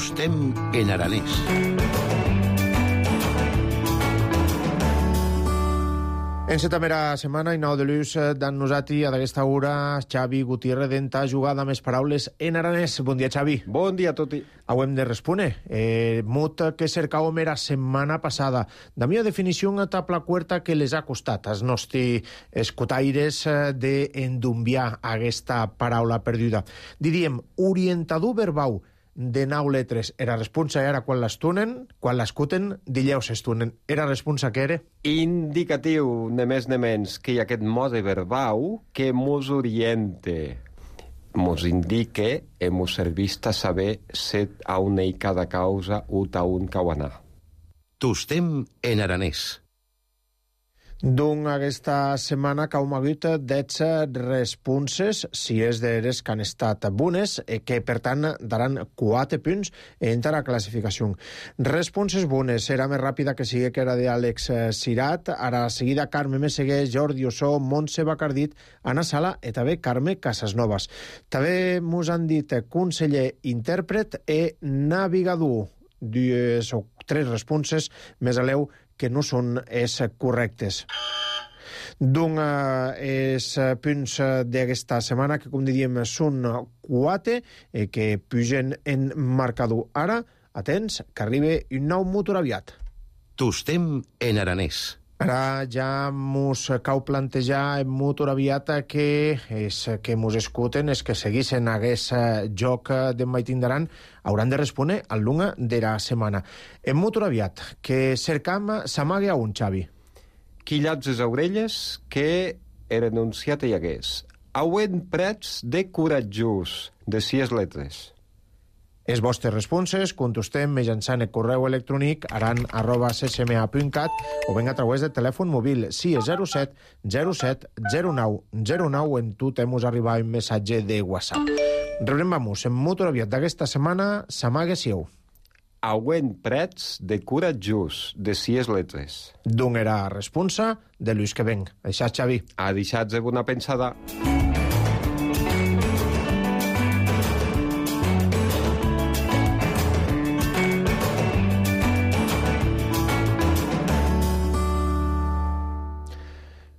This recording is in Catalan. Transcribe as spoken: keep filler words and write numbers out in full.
Tostem en aranès. En la primera setmana, i nou de l'ús d'en nosati, a d'aquesta hora, Xavi Gutiérrez d'enta jugada més paraules en aranès. Bon dia, Xavi. Bon dia a tutti. Auem de respondre. Eh, mot que cercàvem era setmana passada. Da mia definició etapa cuerta que les ha costat als nostres escotaires d'endumbiar aquesta paraula perduda. Diríem, orientador verbau de nou letres. Era responsa era quan l'estunen, quan l'escuten, dilleu s'estunen. Era responsa que era? Indicatiu, ne més ne menys, que hi ha aquest mode verbau que mos oriente, mos indique e mos servista saber set a una i cada causa ut a un cauanar. Tostem en aranès. D'un aquesta setmana que hem hagut dotze responses, si és d'eres que han estat bones, que per tant daran quatre punts en la classificació. Responses bones, era més ràpida que sigui que era d'Àlex Sirat, ara seguida Carme Messeguer, Jordi Ossó, Montse Bacardit, Anna Sala i també Carme Casasnovas. També mos han dit conseller intèrpret i navigador. Dues o tres responses més aleu que no són és correctes. D'un els punts d'aquesta setmana, que com diríem són quatre, eh, que pugen en marcador. Ara, atents, que arriba un nou motor aviat. Tostem en aranès. Ara ja mos cau plantejar en motor aviat que és que mos escuten, és que seguissin aquest joc d'en Maitindaran, hauran de respondre al lunga de la setmana. En motor aviat, que cercam s'amague a un, Xavi. Quillats les orelles que era enunciat hi hagués. Auen prets de coratjos, de sis letres. Les vostres responses contestem mitjançant el correu electrònic aran arroba c c m a punt cat o ben a través del telèfon mòbil si és zero set zero set zero nou zero nou en tu temus arribar un missatge de WhatsApp. Rebrem vamos, en motor aviat d'aquesta setmana s'amague sieu. Auen prets de coratjos, de sis letres. D'on era responsa de Lluís que venc. Això, Xavi. Ha deixat de bona pensada.